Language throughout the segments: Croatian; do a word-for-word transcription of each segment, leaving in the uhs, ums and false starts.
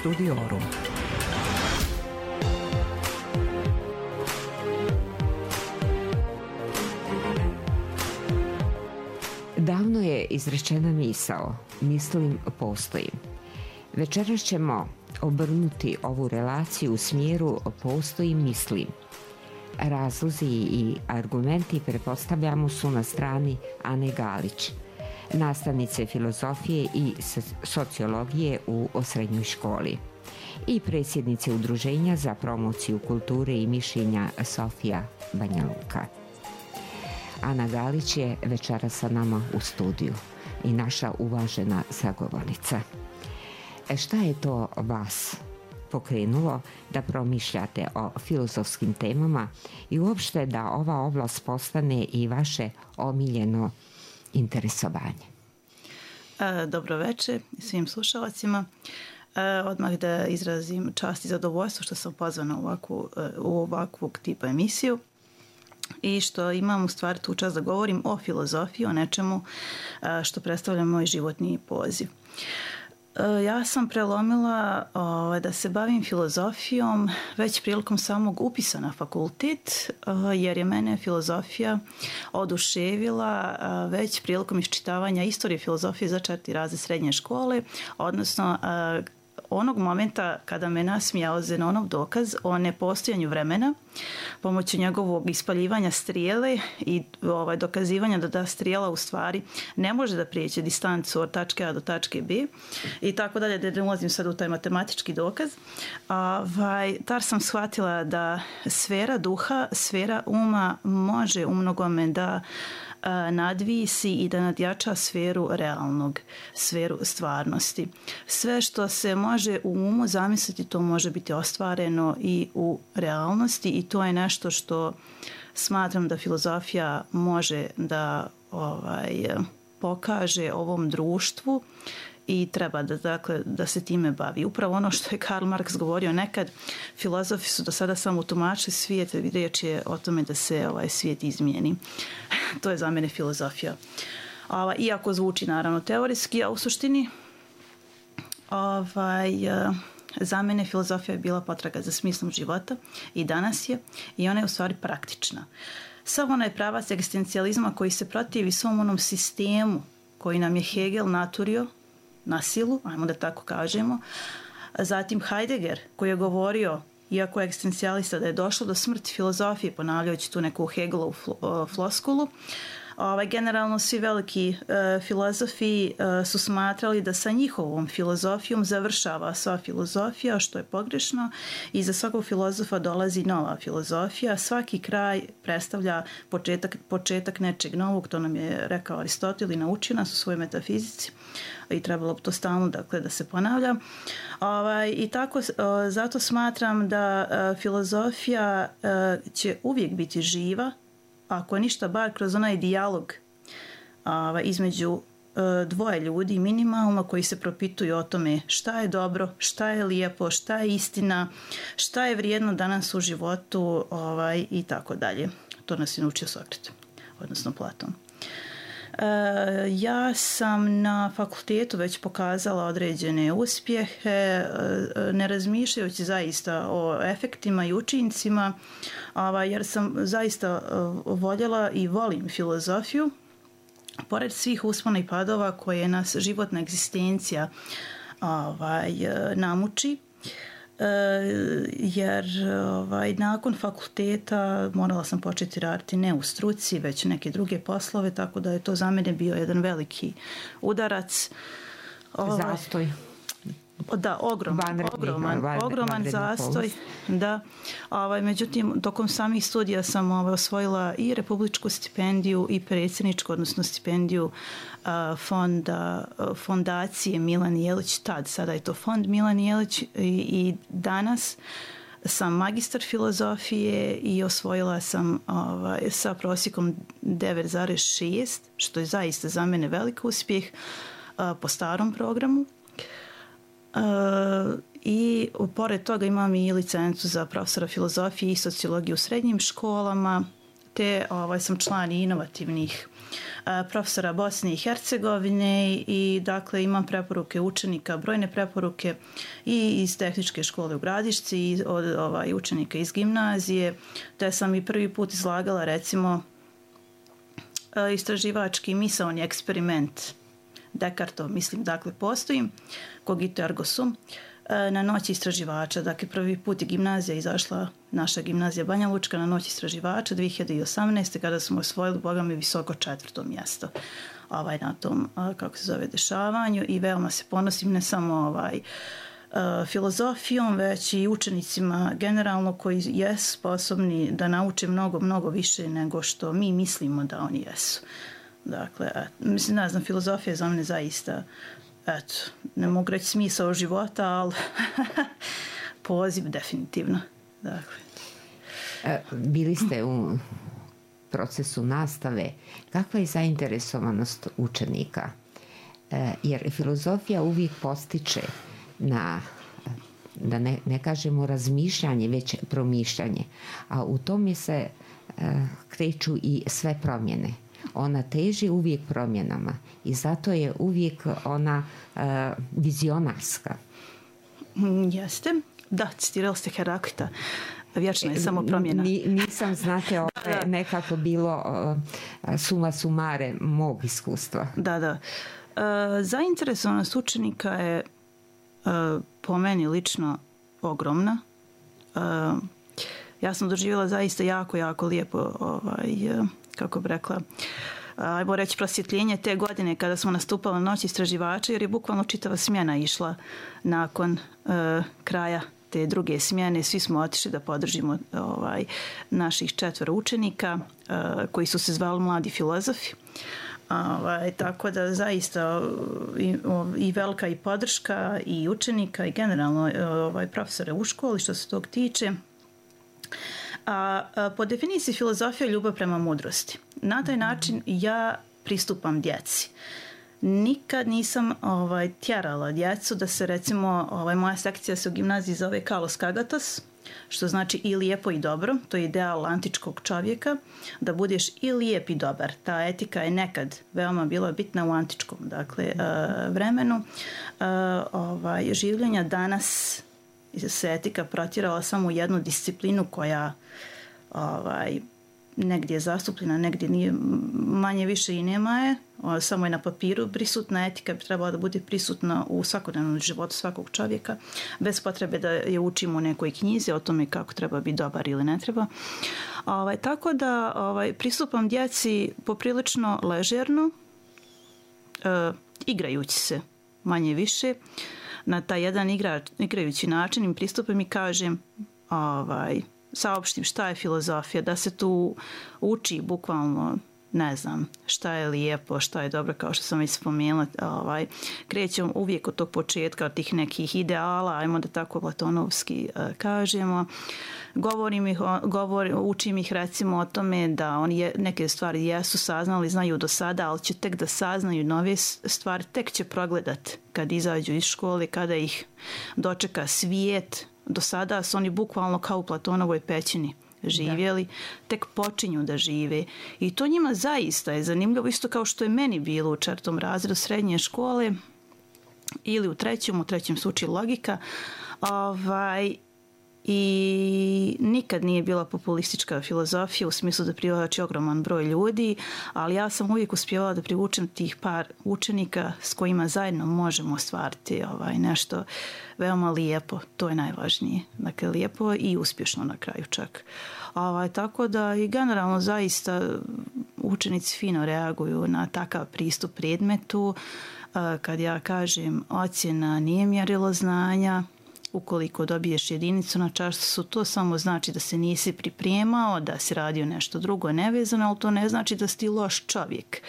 Studiorum. Davno je izrečena misao, mislim postojim. Večeras ćemo obrnuti ovu relaciju u smjeru postojim, mislim. Razlozi i argumenti, pretpostavljamo, su na strani Ane Galić, nastavnice filozofije i sociologije u srednjoj školi i predsjednice Udruženja za promociju kulture i mišljenja Sofija Banja Luka. Ana Galić je večeras sa nama u studiju i naša uvažena sagovornica. E šta je to vas pokrenulo da promišljate o filozofskim temama i uopšte da ova oblast postane i vaše omiljeno interesovanje? Dobro večer svim slušalacima. Odmah da izrazim čast i zadovoljstvo što sam pozvana u ovakvu, u ovakvog tipa emisiju i što imam u stvari tu čast da govorim o filozofiji, o nečemu što predstavlja moj životni poziv. Ja sam prelomila o, da se bavim filozofijom već prilikom samog upisa na fakultet, o, jer je mene filozofija oduševila o, već prilikom iščitavanja istorije filozofije za četvrti razred srednje škole, odnosno o, onog momenta kada me nasmijao Zenonov dokaz o nepostojanju vremena pomoću njegovog ispaljivanja strijele i ovaj, dokazivanja da ta strijela u stvari ne može da prijeđe distancu od tačke A do tačke B i tako dalje, da ne ulazim sad u taj matematički dokaz. Ovaj, tar sam shvatila da sfera duha, sfera uma može u mnogome da nadvisi i da nadjača sferu realnog, sferu stvarnosti. Sve što se može u umu zamisliti, to može biti ostvareno i u realnosti i to je nešto što smatram da filozofija može da ovaj, pokaže ovom društvu i treba da, dakle, da se time bavi. Upravo ono što je Karl Marx govorio nekad, filozofi su do sada samo tumačili svijet, riječ je o tome da se ovaj svijet izmijeni. To je za mene filozofija. Ova, iako zvuči naravno teorijski, a u suštini ovaj, za mene filozofija je bila potraga za smislom života i danas je i ona je u stvari praktična. Samo onaj pravac egzistencijalizma koji se protivi svom onom sistemu koji nam je Hegel naturio na silu, ajmo da tako kažemo. Zatim Heidegger koji je govorio, iako je egzistencijalista, da je došlo do smrti filozofije, ponavljajući tu neku Hegelovu floskulu. Ovaj, generalno svi veliki e, filozofi e, su smatrali da sa njihovom filozofijom završava sva filozofija, što je pogrešno, i za svakog filozofa dolazi nova filozofija. Svaki kraj predstavlja početak, početak nečeg novog, to nam je rekao Aristotel i naučio nas u svojoj metafizici i trebalo bi to stalno, dakle, da se ponavlja. Ovaj, I tako, e, zato smatram da e, filozofija e, će uvijek biti živa, ako ništa, bar kroz onaj dijalog a, između a, dvoje ljudi minimalno koji se propituju o tome šta je dobro, šta je lijepo, šta je istina, šta je vrijedno danas u životu ovaj, i tako dalje. To nas je naučio Sokrat, odnosno Platon. E, ja sam na fakultetu već pokazala određene uspjehe, e, ne razmišljajući zaista o efektima i učincima, ovaj, jer sam zaista voljela i volim filozofiju, pored svih uspona i padova koje nas životna egzistencija ovaj, namuči. Jer ovaj, nakon fakulteta morala sam početi raditi ne u struci, već neke druge poslove, tako da je to za mene bio jedan veliki udarac. Ovaj, zastoj. Da, ogroman, vanredni, ogroman, vanredni, ogroman zastoj. Da. Ovaj, međutim, tokom samih studija sam ovaj, osvojila i republičku stipendiju i predsjedničku, odnosno stipendiju a, fonda, a, fondacije Milan Jelić, tad, sada je to fond Milan Jelić i, i danas sam magistar filozofije i osvojila sam ovaj, sa prosjekom devet zarez šest, što je zaista za mene velik uspjeh a, po starom programu. Uh, i pored toga imam i licencu za profesora filozofije i sociologije u srednjim školama, te ovaj, sam član inovativnih profesora Bosne i Hercegovine i dakle imam preporuke učenika, brojne preporuke i iz tehničke škole u Gradišci i od ovaj, učenika iz gimnazije, te sam i prvi put izlagala recimo istraživački misaoni eksperiment Descartov, mislim, dakle postoji, cogito ergo sum, na noći istraživača. Dakle, prvi put je gimnazija izašla, naša gimnazija Banja Lučka, na noći istraživača dvije hiljade osamnaeste. kada smo osvojili, boga mi, visoko četvrto mjesto ovaj, na tom, kako se zove, dešavanju i veoma se ponosim ne samo ovaj, filozofijom, već i učenicima generalno koji jesu sposobni da nauče mnogo, mnogo više nego što mi mislimo da oni jesu. Dakle, mislim, ne znam, filozofija je za mene zaista, eto, ne mogu reći smisao života, ali poziv definitivno. Dakle. Bili ste u procesu nastave. Kakva je zainteresovanost učenika? Jer filozofija uvijek postiče na, da ne, ne kažemo razmišljanje, već promišljanje. A u tome se kreću i sve promjene. Ona teži uvijek promjenama i zato je uvijek ona uh, vizionarska. Jeste. Da, citirali ste Heraklita. Vječno je samo promjena. Ni, nisam, znate, ovo je nekako bilo uh, suma sumare mog iskustva. Da, da. Uh, zainteresovanost učenika je uh, po meni lično ogromna. Uh, ja sam doživjela zaista jako, jako lijepo ovaj, uh, kako bi rekla, ajmo reći prosvjetljenje te godine kada smo nastupali na noć istraživača, jer je bukvalno čitava smjena išla nakon uh, kraja te druge smjene. Svi smo otišli da podržimo ovaj, naših četvero učenika uh, koji su se zvali mladi filozofi. Ovaj, tako da zaista i, i velika i podrška i učenika i generalno ovaj, profesore u školi što se tog tiče. A, a po definiciji filozofija je ljubav prema mudrosti. Na taj način ja pristupam djeci. Nikad nisam ovaj, tjerala djecu da se recimo, ovaj, moja sekcija se u gimnaziji zove Kalos Kagatos, što znači i lijepo i dobro. To je ideal antičkog čovjeka, da budeš i lijep i dobar. Ta etika je nekad veoma bila bitna u antičkom dakle, uh, vremenu. Uh, ovaj, življenja danas se etika protjerala samo u jednu disciplinu koja ovaj, negdje je zastupljena, negdje nije, manje više i nema je, samo je na papiru prisutna. Etika bi trebala da bude prisutna u svakodnevnom životu svakog čovjeka, bez potrebe da je učimo u nekoj knjizi o tome kako treba biti dobar ili ne treba. Ovaj, tako da ovaj, pristupam djeci poprilično ležerno, e, igrajući se manje više, na taj jedan igra, igrajući način im pristupim i kažem, ovaj, saopštim šta je filozofija, da se tu uči bukvalno, ne znam, šta je lijepo, šta je dobro, kao što sam već spomenula. Ovaj, krećem uvijek od tog početka, od tih nekih ideala, ajmo da tako platonovski uh, kažemo. Govorim ih, govorim, učim ih recimo o tome da oni je, neke stvari jesu saznali, znaju do sada, ali će tek da saznaju nove stvari, tek će progledat kad izađu iz škole, kada ih dočeka svijet. Do sada su oni bukvalno kao u Platonovoj pećini živjeli, da. Tek počinju da žive. I to njima zaista je zanimljivo, isto kao što je meni bilo u četvrtom razredu srednje škole ili u trećem, u trećem se uči logika. Ovaj, i nikad nije bila populistička filozofija u smislu da privlači ogroman broj ljudi, ali ja sam uvijek uspjevala da privučem tih par učenika s kojima zajedno možemo ostvariti ovaj, nešto veoma lijepo. To je najvažnije. Dakle, lijepo i uspješno na kraju čak. Ovaj, tako da i generalno zaista učenici fino reaguju na takav pristup predmetu. Kad ja kažem ocjena nije mjerilo znanja, ukoliko dobiješ jedinicu na času, to samo znači da se nisi pripremao, da si radio nešto drugo nevezano, ali to ne znači da si ti loš čovjek.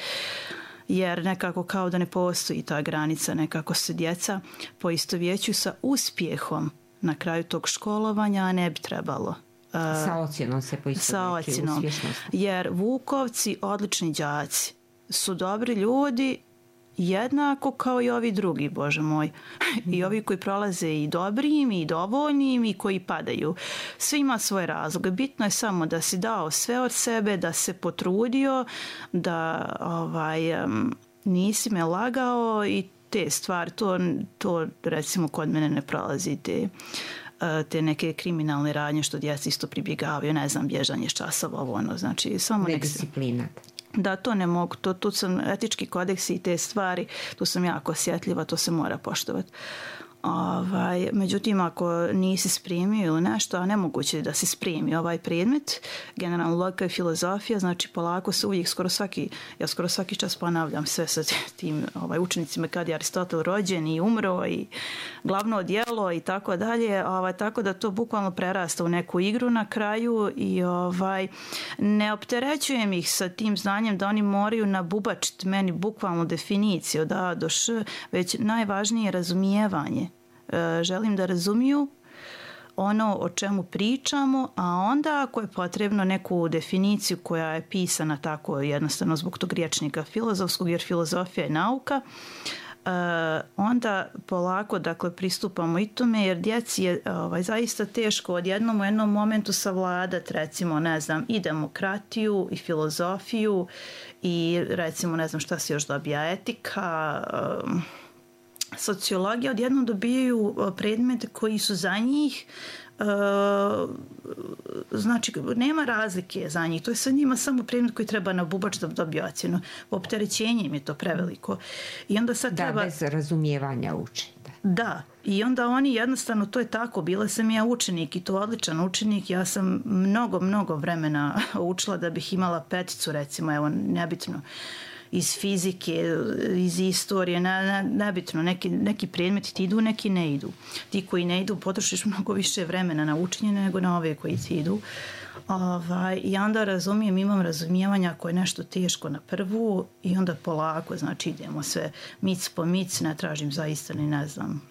Jer nekako kao da ne postoji ta granica, nekako se djeca poistovjećuju sa uspjehom na kraju tog školovanja, a ne bi trebalo. Sa ocjenom se poistovjećuju uspješnost. Jer Vukovci, odlični đaci, su dobri ljudi jednako kao i ovi drugi, Bože moj. I ovi koji prolaze i dobrim i dovoljnim i koji padaju. Svi ima svoje razloge. Bitno je samo da si dao sve od sebe, da se potrudio, da ovaj, um, nisi me lagao i te stvari. To, to recimo kod mene ne prolazi te, te neke kriminalne radnje što djeca isto pribjegavaju, ne znam, bježanje s časova, ovo ono, znači samo nek se... Da, to ne mogu, to, tu sam etički kodeksi i te stvari, tu sam jako osjetljiva, to se mora poštovati. Ovaj, međutim, ako nisi spremio ili nešto, a nemoguće je da si spremi ovaj predmet, generalno logika i filozofija, znači polako se uvijek skoro svaki, ja skoro svaki čas ponavljam sve sa tim ovaj, učenicima kad je Aristotel rođen i umro i glavno djelo i tako dalje, ovaj, tako da to bukvalno prerasta u neku igru na kraju i ovaj, ne opterećujem ih sa tim znanjem da oni moraju nabubačiti meni bukvalno definiciju od A do Š, već najvažnije je razumijevanje. Želim da razumiju ono o čemu pričamo, a onda ako je potrebno neku definiciju koja je pisana tako jednostavno zbog tog rječnika filozofskog, jer filozofija je nauka, onda polako dakle pristupamo i tome, jer djeci je ovaj, zaista teško odjednom u jednom momentu savladati, recimo, ne znam, i demokratiju i filozofiju i recimo, ne znam šta se još dobija, etika, sociologija, odjednom dobijaju predmete koji su za njih, znači nema razlike za njih, to je sa njima samo predmet koji treba na bubač da dobije ocjenu. Opterećenje im je to preveliko. I onda sad da, treba... bez razumijevanja uči. Da. da, i onda oni jednostavno, to je tako, bila sam ja učenik i to odličan učenik, ja sam mnogo, mnogo vremena učila da bih imala peticu, recimo, evo, nebitno, iz fizike, iz istorije, ne, ne, nebitno, neki, neki predmeti ti idu, neki ne idu. Ti koji ne idu potrošiš mnogo više vremena na učenje nego na ove koji ti idu. Ovaj, I onda razumijem, imam razumijevanja ako je nešto teško na prvu i onda polako, znači idemo sve mic po mic, ne tražim zaista ni ne znam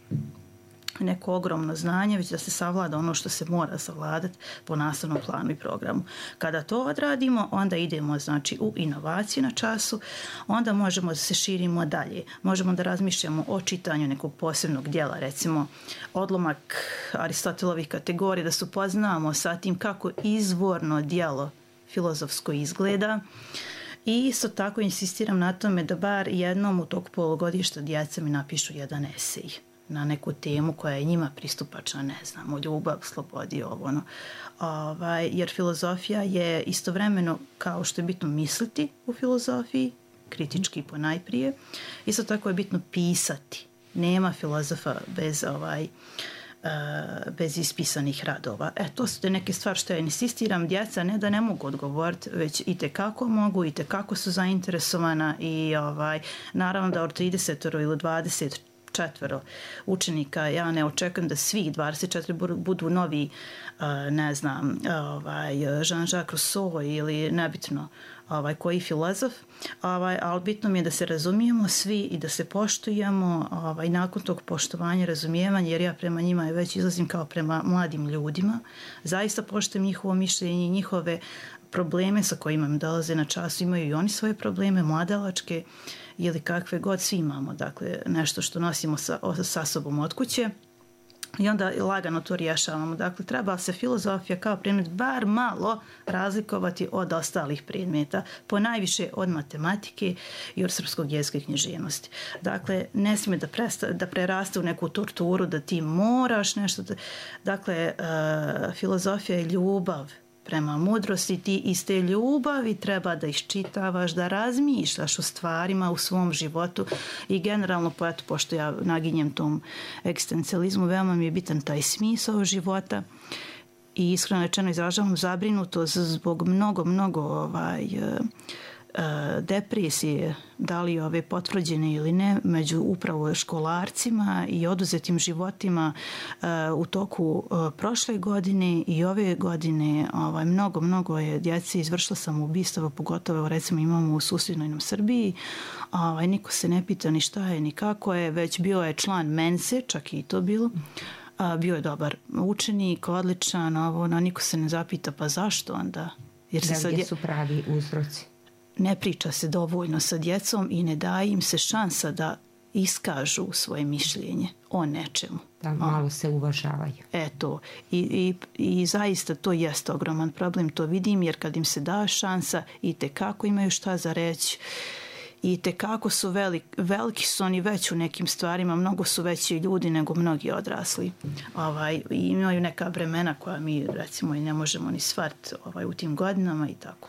neko ogromno znanje, već da se savlada ono što se mora savladati po nastavnom planu i programu. Kada to odradimo, onda idemo znači u inovaciju na času, onda možemo da se širimo dalje. Možemo da razmišljamo o čitanju nekog posebnog dijela, recimo odlomak Aristotelovih kategorija, da se upoznamo sa tim kako izvorno dijelo filozofsko izgleda. I isto tako insistiram na tome da bar jednom u tog polugodišta djeca mi napišu jedan esej na neku temu koja je njima pristupačna, ne znam, o ljubav, slobodi, ovo ono. Ovaj, jer filozofija je istovremeno, kao što je bitno misliti u filozofiji, kritički ponajprije, isto tako je bitno pisati. Nema filozofa bez ovaj uh, bez ispisanih radova. E, to su te neke stvari što ja insistiram, djeca ne da ne mogu odgovoriti, već i tekako mogu, i tekako su zainteresovana i ovaj, naravno da od trideset ili dvadeset četvero učenika, ja ne očekujem da svih dvadeset četiri budu novi, ne znam, ovaj, Jean-Jacques Rousseau ili nebitno ovaj, koji filozof, ovaj, ali bitno mi je da se razumijemo svi i da se poštujemo, ovaj, nakon tog poštovanja, razumijevanja, jer ja prema njima već izlazim kao prema mladim ljudima, zaista poštujem njihovo mišljenje i njihove probleme sa kojima im dolaze na čas, imaju i oni svoje probleme, mladalačke ili kakve god, svi imamo, dakle, nešto što nosimo sa, sa sobom od kuće i onda lagano to rješavamo. Dakle, treba se filozofija kao predmet bar malo razlikovati od ostalih predmeta, ponajviše od matematike i od srpskog jezika i književnosti. Dakle, ne smije da, presta, da preraste u neku torturu, da ti moraš nešto. Da, dakle, uh, filozofija je ljubav prema mudrosti, ti iz te ljubavi treba da iščitavaš, da razmišljaš o stvarima u svom životu i generalno, poeto, pošto ja naginjem tom egzistencijalizmu, veoma mi je bitan taj smisao života i iskreno rečeno izražavam zabrinutost zbog mnogo, mnogo ovaj, depresije, da li ove potvrđene ili ne, među upravo školarcima i oduzetim životima u toku prošle godine i ove godine. Ovaj, mnogo, mnogo je djece izvršila samoubistva, pogotovo recimo imamo u susjednoj nam Srbiji. Ovaj, niko se ne pita ni šta je, ni kako je, već bio je član Mense, čak i to bilo. Bio je dobar učenik, odličan, ovo, no, niko se ne zapita pa zašto onda? Jer se da, sad je... su pravi uzroci? ne priča se dovoljno sa djecom i ne daje im se šansa da iskažu svoje mišljenje o nečemu. Da malo se uvažavaju. Eto, i, i, i zaista to jeste ogroman problem, to vidim, jer kad im se da šansa i tekako imaju šta za reći, i tekako su velik, veliki su oni već u nekim stvarima, mnogo su veći ljudi nego mnogi odrasli. Ovaj, imaju neka vremena koja mi recimo i ne možemo ni shvatiti ovaj, u tim godinama i tako.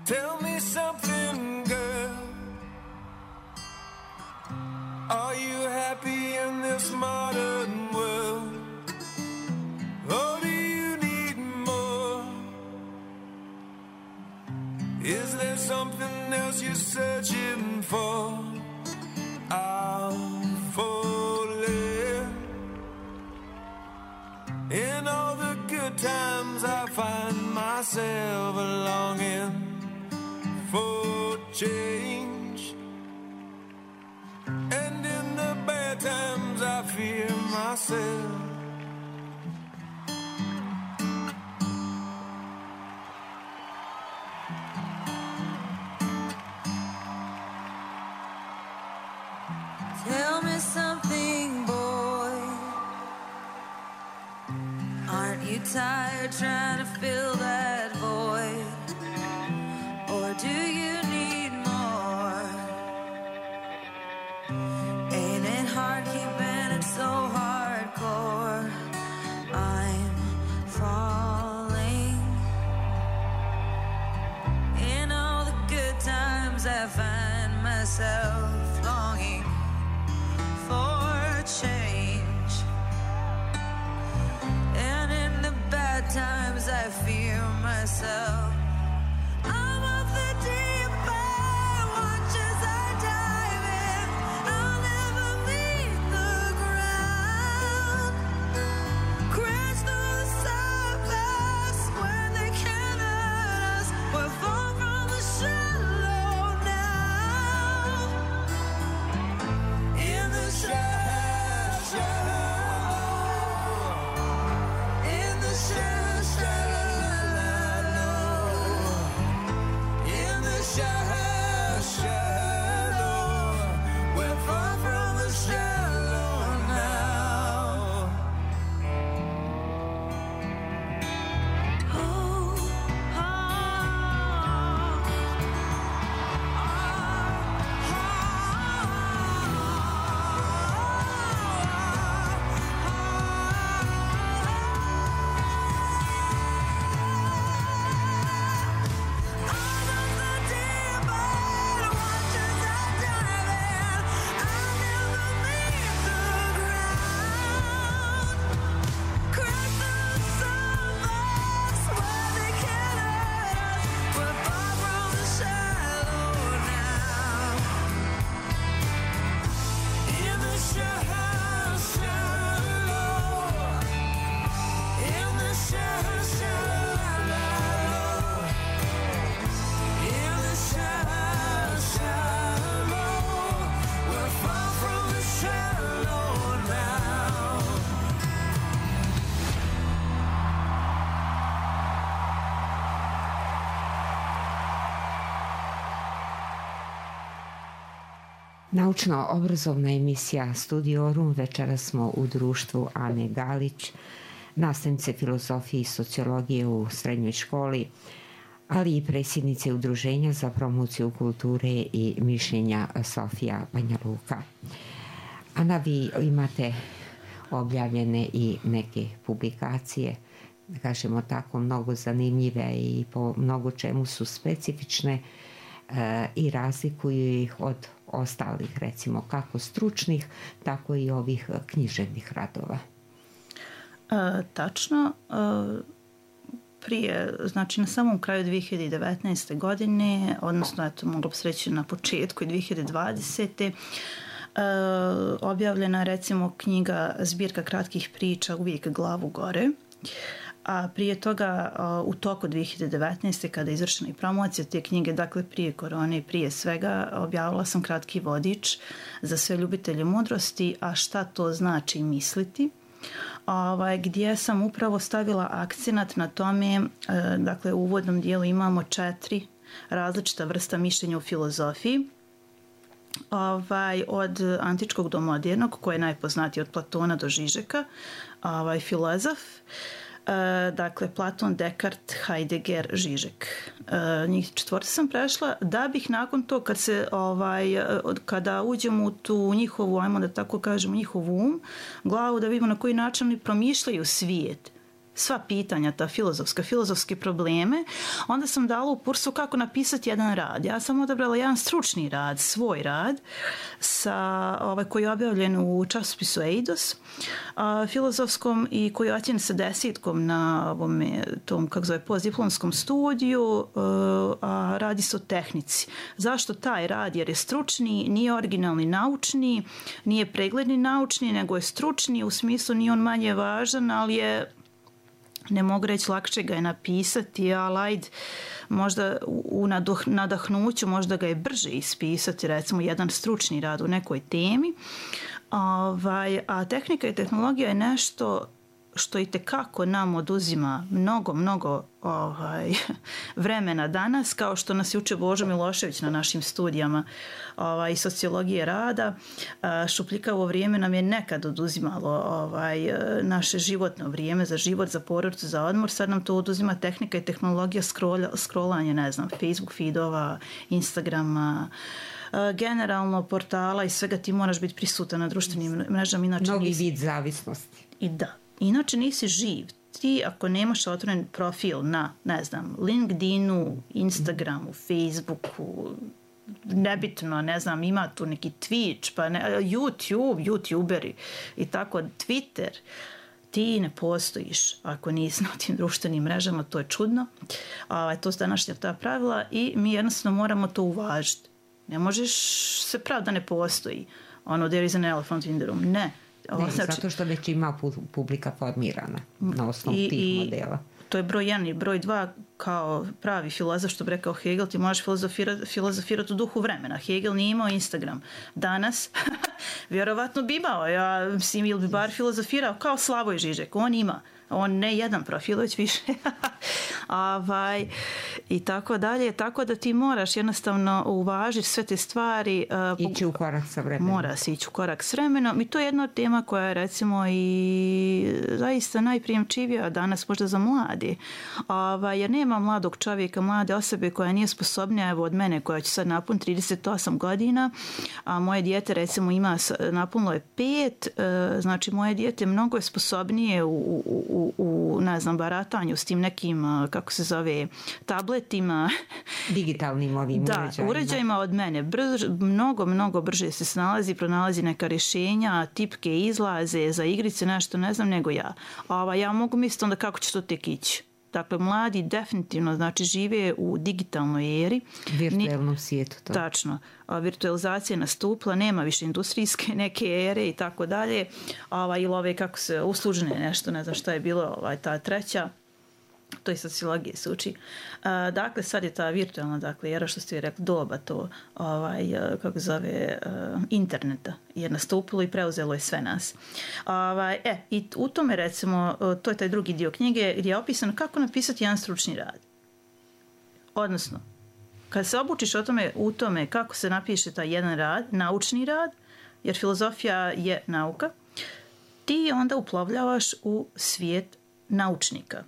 Tell me something, girl. Are you happy in this modern world? Or do you need more? Is there something else you're searching for? I'm falling. In all the good times I find myself longing for change, and in the bad times I fear myself. Tell me something, boy. Aren't you tired trying to fill that void? Or do you need more? Ain't it hard keeping it so hardcore? I'm falling. In all the good times I find myself longing for change, and in the bad times I fear myself. Naučno-obrazovna emisija Studiorum. Večera smo u društvu Ane Galić, nastavnice filozofije i sociologije u srednjoj školi, ali i predsjednice Udruženja za promociju kulture i mišljenja Sofija Banja Luka. Ana, vi imate objavljene i neke publikacije, da kažemo tako, mnogo zanimljive i po mnogo čemu su specifične e, i razlikuju ih od ostalih, recimo kako stručnih, tako i ovih književnih radova. E, tačno. E, prije, znači na samom kraju dvije hiljade devetnaeste. godine, odnosno eto, moglo bi se reći na početku dvije hiljade dvadesete. E, objavljena recimo knjiga zbirka kratkih priča Uvijek glavu gore. a prije toga u toku dvije hiljade devetnaeste. kada je izvršena i promocija te knjige, dakle prije korone i prije svega, objavila sam kratki vodič za sve ljubitelje mudrosti, a šta to znači misliti, ovaj, gdje sam upravo stavila akcenat na tome, dakle u uvodnom dijelu imamo četiri različita vrsta mišljenja u filozofiji, ovaj, od antičkog do modernog, koji je najpoznatiji od Platona do Žižeka, ovaj, filozof, e, dakle Platon, Descartes, Heidegger, Žižek. E, njih četvrti sam prešla, da bih nakon to, kad se, ovaj, kada uđemo u tu njihovu, ajmo da tako kažemo, njihovu um, glavu, da vidimo na koji način oni promišljaju svijet, sva pitanja, ta filozofska, filozofske probleme, onda sam dala u kursu kako napisati jedan rad. Ja sam odabrala jedan stručni rad, svoj rad, sa, ovaj, koji je objavljen u časopisu Eidos, a, filozofskom, i koji je ocjenjen sa desetkom na ovome, tom, kako zove, postdiplomskom studiju, a radi se o tehnici. Zašto taj rad? Jer je stručni, nije originalni naučni, nije pregledni naučni, nego je stručni, u smislu nije on manje važan, ali je, ne mogu reći, lakše ga je napisati, ali ajde, možda u nadahnuću možda ga je brže ispisati, recimo jedan stručni rad u nekoj temi. Ovaj, a tehnika i tehnologija je nešto što i tekako nam oduzima mnogo, mnogo ovaj, vremena danas, kao što nas je učio Božo Milošević na našim studijama ovaj, sociologije rada. Šupljikavo vrijeme nam je nekad oduzimalo ovaj, naše životno vrijeme za život, za porodicu, za odmor. Sad nam to oduzima tehnika i tehnologija, scrollanje, ne znam, Facebook feedova, Instagrama, generalno portala i svega. Ti moraš biti prisutan na društvenim mrežama. Inače novi nisi... vid zavisnosti. I da. Inače nisi živ. Ti ako nemaš otvoren profil na, ne znam, LinkedInu, Instagramu, Facebooku, nebitno, ne znam, ima tu neki Twitch, pa ne, YouTube, YouTuberi i tako, Twitter, ti ne postojiš ako nisi na tim društvenim mrežama, to je čudno. A, to su današnja ta pravila i mi jednostavno moramo to uvažiti. Ne možeš se praviti da ne postoji. Ono, there is an elephant in the room. Ne. Ne, znači, zato što već ima publika formirana na osnovu i, tih i modela. To je broj jedan. I broj dva, kao pravi filozof, što bi rekao Hegel, ti možeš filozofirati, filozofirati u duhu vremena. Hegel nije imao Instagram. Danas, vjerovatno bi imao. Ja, mislim, ili bi bar filozofirao kao Slavoj Žižek. On ima. On ne jedan profil, već više. Avaj, i tako dalje. Tako da ti moraš jednostavno uvažiti sve te stvari. Uh, ići u korak sa vremenom. Mora se ići u korak s vremenom. I to je jedna tema koja je recimo i zaista najprijemčivija danas možda za mladi. Avaj, jer nema mladog čovjeka, mlade osobe koja nije sposobnija, evo od mene koja će sad napuniti trideset osam godina, a moje dijete recimo ima, napunilo je pet, uh, znači moje dijete mnogo je sposobnije u, u, u, u ne znam, baratanju s tim nekim, kako se zove, tabletima. Digitalnim ovim da, uređajima. uređajima od mene. Brž, mnogo, mnogo brže se snalazi, pronalazi neka rješenja, tipke izlaze za igrice, nešto ne znam nego ja. Ova, ja mogu misliti onda kako će to tek ići. Dakle, mladi definitivno, znači, žive u digitalnoj eri. Virtualnom svijetu. To. Tačno. A, virtualizacija je nastupila, nema više industrijske neke ere i tako dalje. Ova, ili ove, kako se, uslužene nešto, ne znam šta je bilo, ovaj, ta treća. To je sociologije se uči. A, dakle, sad je ta virtualna, dakle, era što ste rekli, doba to, ovaj, kako zove, uh, interneta je nastupilo i preuzelo je sve nas. Ovaj, e, i u tome, recimo, to je taj drugi dio knjige gdje je opisano kako napisati jedan stručni rad. Odnosno, kad se obučiš o tome, u tome kako se napiše taj jedan rad, naučni rad, jer filozofija je nauka, ti onda uplovljavaš u svijet naučnika,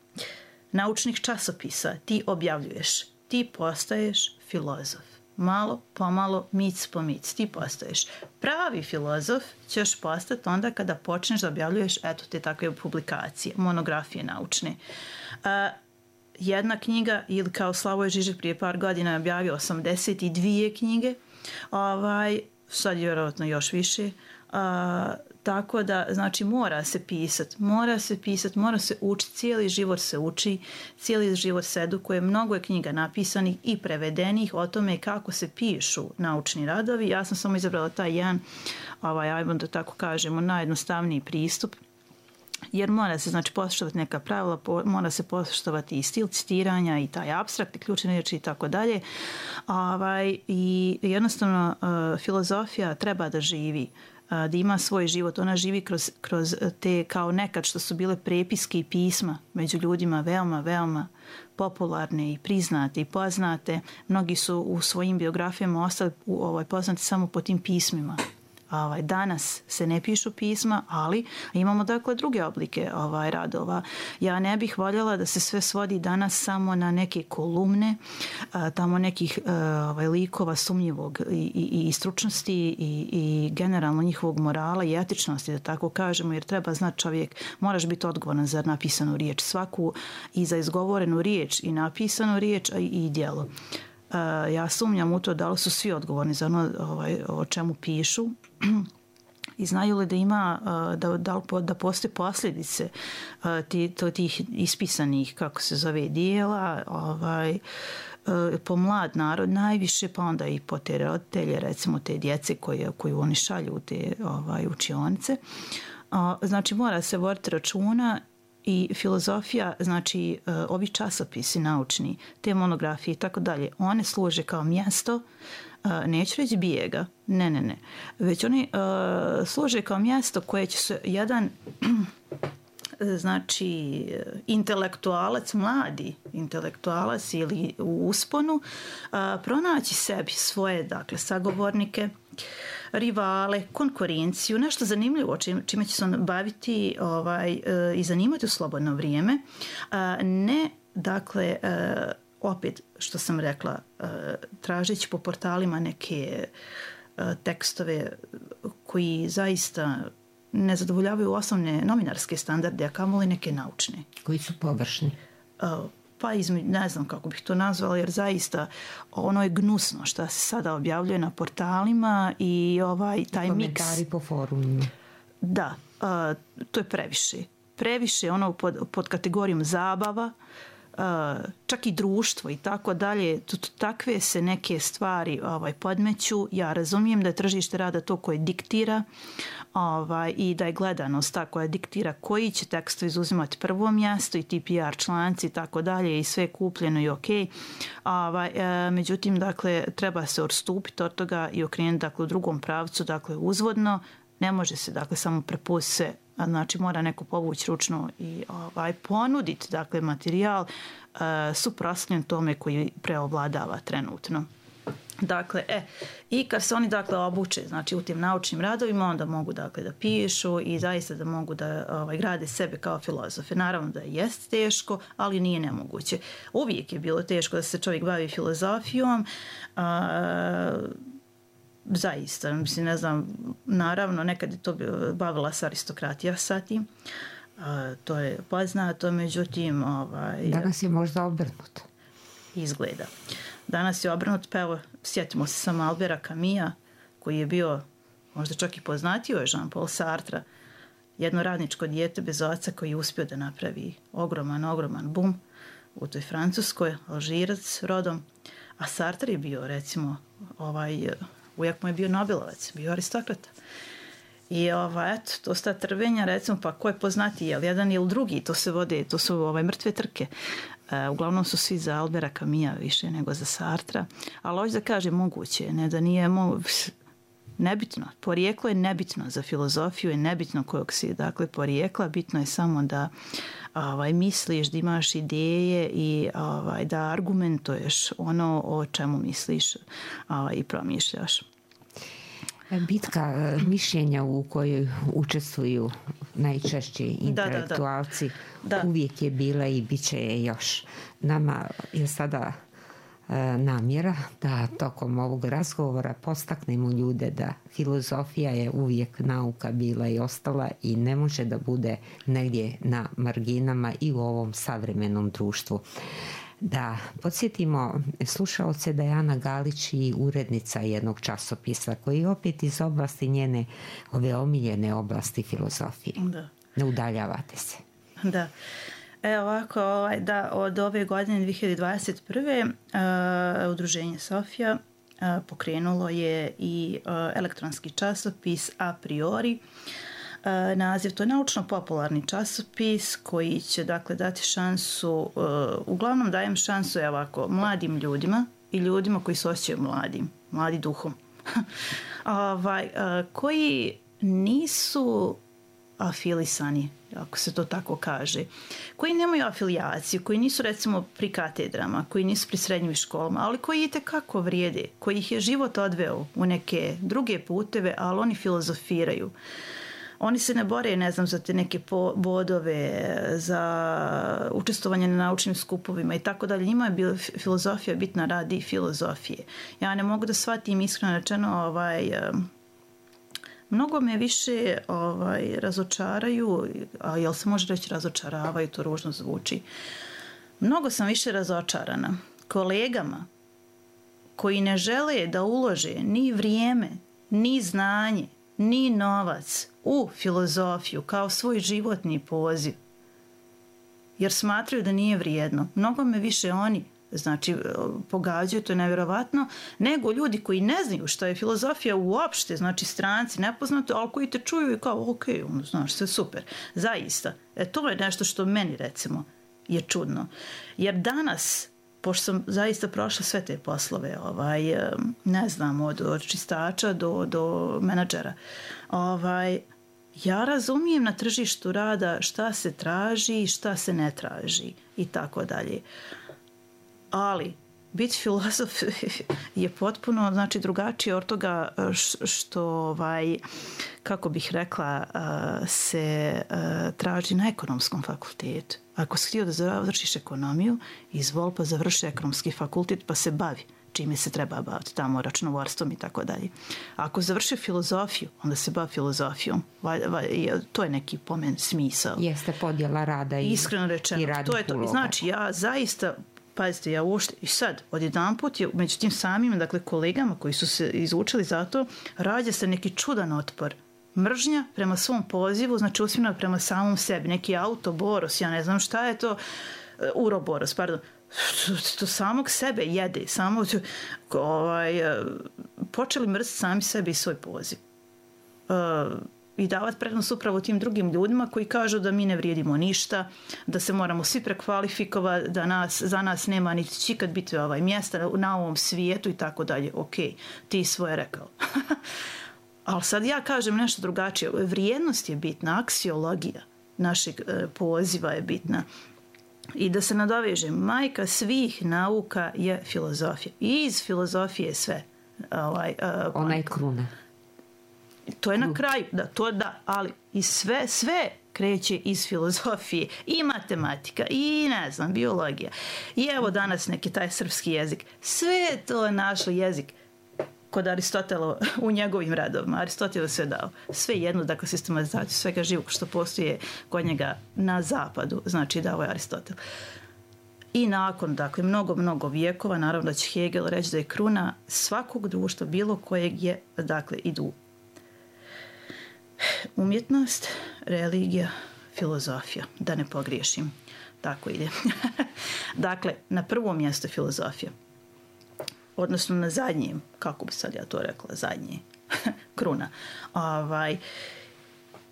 naučnih časopisa, ti objavljuješ, ti postaješ filozof. Malo, pomalo, mic po mic, ti postaješ. Pravi filozof ćeš postati onda kada počneš da objavljuješ, eto te takve publikacije, monografije naučne. A, jedna knjiga, ili kao Slavoj Žižek prije par godina je objavio osamdeset dvije knjige, ovaj, sad je vjerojatno još više, a, tako da, znači, mora se pisati, mora se pisati, mora se učiti, cijeli život se uči, cijeli život se edukuje, mnogo je knjiga napisanih i prevedenih o tome kako se pišu naučni radovi. Ja sam samo izabrala taj jedan, ovaj, ajmo da tako kažemo, najjednostavniji pristup, jer mora se znači poštovati neka pravila, po, mora se poštovati i stil citiranja i taj apstrakt i ključne riječi i tako dalje. Ovaj, i jednostavno uh, filozofija treba da živi, uh, da ima svoj život. Ona živi kroz, kroz te kao nekad što su bile prepiske i pisma među ljudima veoma, veoma popularne i priznate i poznate. Mnogi su u svojim biografijama ostali u, ovaj, poznati samo po tim pismima. Ovaj, danas se ne pišu pisma, ali imamo dakle druge oblike ovaj, radova. Ja ne bih voljela da se sve svodi danas samo na neke kolumne, a, tamo nekih a, ovaj, likova sumnjivog i, i, i stručnosti i, i generalno njihovog morala i etičnosti, da tako kažemo, jer treba znati čovjek, moraš biti odgovoran za napisanu riječ svaku i za izgovorenu riječ i napisanu riječ i, i djelo. Uh, ja sumnjam u to da li su svi odgovorni za ono ovaj, o čemu pišu i znaju li da ima uh, da, da, da postoje posljedice uh, ti, to, tih ispisanih, kako se zove, dijela ovaj, uh, po mlad narod najviše, pa onda i po te roditelje, recimo te djece koje, koju oni šalju u te ovaj, učionice. Uh, znači mora se voditi računa. I filozofija, znači uh, ovi časopisi naučni, te monografije i tako dalje, one služe kao mjesto, uh, neću reći bijega, ne, ne, ne, već oni uh, služe kao mjesto koje će se jedan znači intelektualac, mladi intelektualac ili u usponu uh, pronaći sebi svoje, dakle, sagovornike, rivale, konkurenciju, nešto zanimljivo čime će se on baviti ovaj, i zanimati u slobodno vrijeme. Ne, dakle, opet što sam rekla, tražeći po portalima neke tekstove koji zaista ne zadovoljavaju osnovne novinarske standarde, a kamoli neke naučne. Koji su površni? Pa izme, ne znam kako bih to nazvala, jer zaista ono je gnusno što se sada objavljuje na portalima i ovaj taj miks. Komentari po forumima. Da, uh, to je previše. Previše ono pod, pod kategorijom zabava, uh, čak i društvo i tako dalje. Takve se neke stvari ovaj, podmeću. Ja razumijem da je tržište rada to koje diktira ovaj, i da je gledanost ta koja diktira koji će teksto izuzimati prvo mjesto i ti P R članci i tako dalje i sve kupljeno i ok. Ovaj, e, međutim, dakle, treba se odstupiti od toga i okrenuti dakle, u drugom pravcu, dakle, uzvodno. Ne može se, dakle, samo prepustiti sve. Znači, mora neko povući ručno i ovaj, ponuditi, dakle, materijal e, suprotstavljen tome koji preovladava trenutno. Dakle, e, i kad se oni dakle obuče, znači u tim naučnim radovima, onda mogu dakle da pišu i zaista da mogu da ovaj, grade sebe kao filozofe. Naravno da jest teško, ali nije nemoguće. Uvijek je bilo teško da se čovjek bavi filozofijom, a, zaista, mislim, ne znam, naravno nekad je to bavila se aristokratija sa tim, a, to je poznato, međutim, ovaj, danas je možda obrnuto. Izgleda. Danas je obrnut, pa evo, sjetimo se samo Albera Camusa, koji je bio, možda čak i poznatio je Jean-Paul Sartre, jedno radničko dijete bez oca koji je uspio da napravi ogroman, ogroman bum u toj Francuskoj, Alžirac rodom, a Sartre je bio, recimo, ovaj, ujak mu je bio Nobelovac, bio aristokrata. I ovaj, eto, to sta trvenja, recimo, pa ko je poznatiji, jel jedan ili drugi, to se vode, to su ovaj, mrtve trke. Uh, uglavnom su svi za Albera Camusa više nego za Sartra, ali hoću da kažem moguće, ne da nije mo... nebitno, porijeklo je nebitno za filozofiju, je nebitno kojeg si dakle porijekla, bitno je samo da ovaj, misliš, da imaš ideje i ovaj, da argumentuješ ono o čemu misliš ovaj, i promišljaš. Bitka mišljenja u kojoj učestvuju najčešći intelektualci da, da, da. uvijek je bila i bit će je još. Nama je sada e, namjera da tokom ovog razgovora postaknemo ljude da filozofija je uvijek nauka bila i ostala i ne može da bude negdje na marginama i u ovom savremenom društvu. Da podsjetimo slušaoce da je Ana Galić i urednica jednog časopisa koji je opet iz oblasti njene ove omiljene oblasti filozofije. Da. Ne udaljavate se. Da. E ovako, da, od ove godine dvije hiljade dvadeset prve. Uh, udruženje Sofija uh, pokrenulo je i uh, elektronski časopis A priori. naziv. To je naučno-popularni časopis koji će, dakle, dati šansu, uglavnom dajem šansu, evo ovako, mladim ljudima i ljudima koji se osjećaju mladim, mladi duhom, ovaj, koji nisu afilisani, ako se to tako kaže, koji nemaju afilijaciju, koji nisu recimo pri katedrama, koji nisu pri srednjim školama, ali koji itekako vrijede, koji ih je život odveo u neke druge puteve, ali oni filozofiraju. Oni se ne bore, ne znam, za te neke bodove, za učestvovanje na naučnim skupovima i tako dalje. Njima je bila filozofija bitna radi filozofije. Ja ne mogu da shvatim, iskreno rečeno, ovaj... Mnogo me više ovaj, razočaraju, a jel se može reći razočaravaju, to ružno zvuči. Mnogo sam više razočarana kolegama koji ne žele da ulože ni vrijeme, ni znanje, ni novac u filozofiju kao svoj životni poziv. Jer smatraju da nije vrijedno. Mnogo me više oni, znači, pogađaju, to je nevjerovatno, nego ljudi koji ne znaju šta je filozofija uopšte, znači stranci, nepoznati, ali koji te čuju i kao, ok, ono, znaš, sve super. Zaista. E, to je nešto što meni, recimo, je čudno. Jer danas, pošto sam zaista prošla sve te poslove, ovaj, ne znam, od, od čistača do, do menadžera, ovaj, ja razumijem na tržištu rada šta se traži i šta se ne traži i tako dalje. Ali biti filozof je potpuno, znači, drugačije od toga što, ovaj, kako bih rekla, se traži na ekonomskom fakultetu. Ako si htio da završiš ekonomiju, izvol pa završi ekonomski fakultet pa se bavi čime se treba baviti, tamo računovodstvom i tako dalje. Ako završi filozofiju, onda se bavi filozofijom. To je neki pomen smisao. Jeste podjela rada i, iskreno rečeno, i radnih to je to. uloga. Znači, ja zaista, pazite, ja uopšte, i sad, odjedanput je među tim samim, dakle, kolegama koji su se izučili za to, rađa se neki čudan otpor. Mržnja prema svom pozivu, znači usmjerena prema samom sebi. Neki autoboros, ja ne znam šta je to, uroboros, pardon, to samog sebe jede, samo ovaj, počeli mrziti sami sebi i svoj poziv. Uh, I davati prednost upravo tim drugim ljudima koji kažu da mi ne vrijedimo ništa, da se moramo svi prekvalifikovati, da nas, za nas nema niti će ikad biti ovaj mjesta na ovom svijetu i tako dalje. Ok, ti svoje rekao. Ali sad ja kažem nešto drugačije. Vrijednost je bitna, aksiologija našeg e, poziva je bitna. I da se nadovežem, majka svih nauka je filozofija. I iz filozofije sve. Ovaj, uh, Ona je kruna. To je na kraju, da, to da, ali i sve, sve kreće iz filozofije. I matematika, i ne znam, biologija. I evo danas neki taj srpski jezik. Sve je to našo jezik kod Aristotela u njegovim radovima. Aristotel je sve dao. Sve jedno, dakle, sistematizaciju svega živog što postoje kod njega na zapadu, znači dao je Aristotel. I nakon, dakle, mnogo, mnogo vijekova, naravno da će Hegel reći da je kruna svakog društva, bilo kojeg je, dakle, idu umjetnost, religija, filozofija, da ne pogriješim. Tako ide. Dakle, na prvom mjestu filozofija. Odnosno na zadnjem, kako bi sad ja to rekla, zadnje, kruna. Ovaj,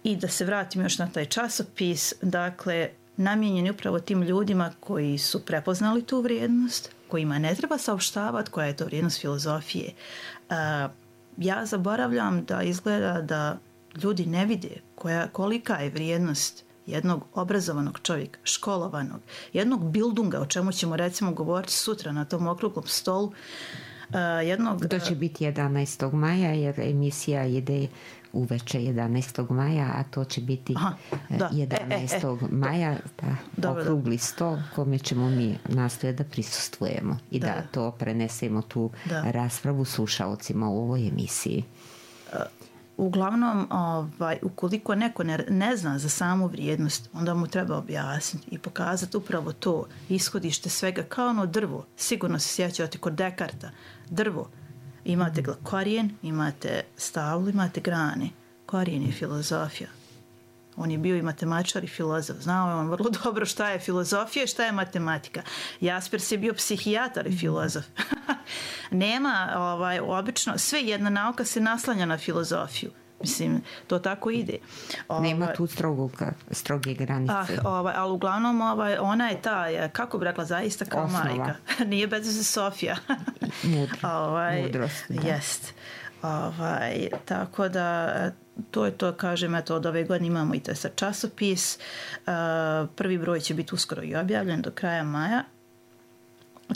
I da se vratim još na taj časopis, dakle, namijenjen je upravo tim ljudima koji su prepoznali tu vrijednost, kojima ne treba saopštavati koja je to vrijednost filozofije. Uh, ja zaboravljam da izgleda da ljudi ne vide koja, kolika je vrijednost jednog obrazovanog čovjeka, školovanog, jednog bildunga, o čemu ćemo recimo govoriti sutra na tom okruglom stolu. Uh, jednog, to će biti jedanaestog maja, jer emisija ide uveče jedanaestog maja, a to će biti Aha, da. jedanaestog E, e, e. maja, da, dobro, okrugli stol kome ćemo mi nastojati da prisustvujemo i da, da to prenesemo tu da. raspravu slušalcima u ovoj emisiji. Uh, Uglavnom, ovaj, ukoliko neko ne, ne zna za samu vrijednost, onda mu treba objasniti i pokazati upravo to ishodište svega, kao ono drvo. Sigurno se sjećate kod Dekarta. Drvo. Imate korijen, imate stavlu, imate grane. Korijen je filozofija. On je bio i matematičar i filozof. Znao je on vrlo dobro šta je filozofija i šta je matematika. Jaspers je bio psihijatar i filozof. Nema, ovaj, obično, sve jedna nauka se naslanja na filozofiju. Mislim, to tako ide. Nema Ovaj, tu strogog, stroge granice. Ah, ovaj, ali uglavnom ovaj, ona je ta, je, kako bi rekla, zaista kao Osnova. majka. Nije bez veze Sofija. Mudro, ovaj, mudrost, da. Jest. Ovaj, tako da to je to, kažem, eto, od ove godine imamo i to je sad časopis. Uh, prvi broj će biti uskoro i objavljen do kraja maja.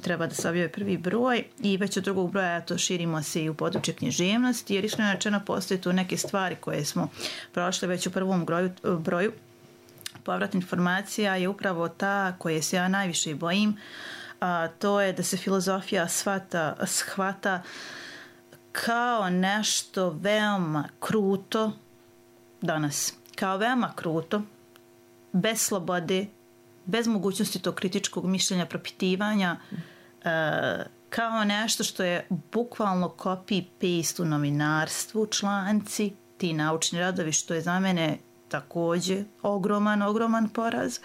Treba da se objavi prvi broj i već od drugog broja eto, širimo se i u područje književnosti, jer iskreno rečeno postoje tu neke stvari koje smo prošle već u prvom broju, broju. Povrat informacija je upravo ta koje se ja najviše bojim, a to je da se filozofija shvata, shvata kao nešto veoma kruto danas, kao veoma kruto, bez slobode, bez mogućnosti tog kritičkog mišljenja, propitivanja, e, kao nešto što je bukvalno copy-paste u novinarstvu, članci, ti naučni radovi, što je za mene također ogroman, ogroman poraz.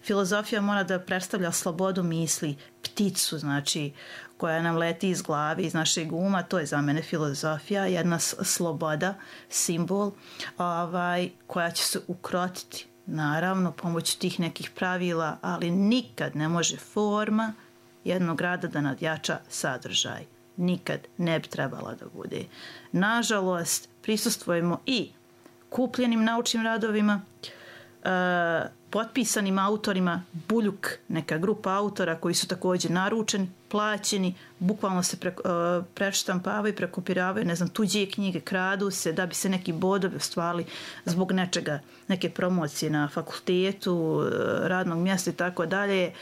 Filozofija mora da predstavlja slobodu misli, pticu, znači, koja nam leti iz glave, iz našeg uma, to je za mene filozofija, jedna sloboda, simbol, ovaj, koja će se ukrotiti, naravno, pomoću tih nekih pravila, ali nikad ne može forma jednog rada da nadjača sadržaj. Nikad ne bi trebala da bude. Nažalost, prisustvujemo i kupljenim naučnim radovima, e, potpisanim autorima, Buljuk, neka grupa autora koji su također naručeni, plaćeni, bukvalno se pre, e, preštampavaju, prekopiravaju, ne znam, tuđe knjige, kradu se da bi se neki bodovi ostvarili zbog nečega, neke promocije na fakultetu, radnog mjesta i tako dalje.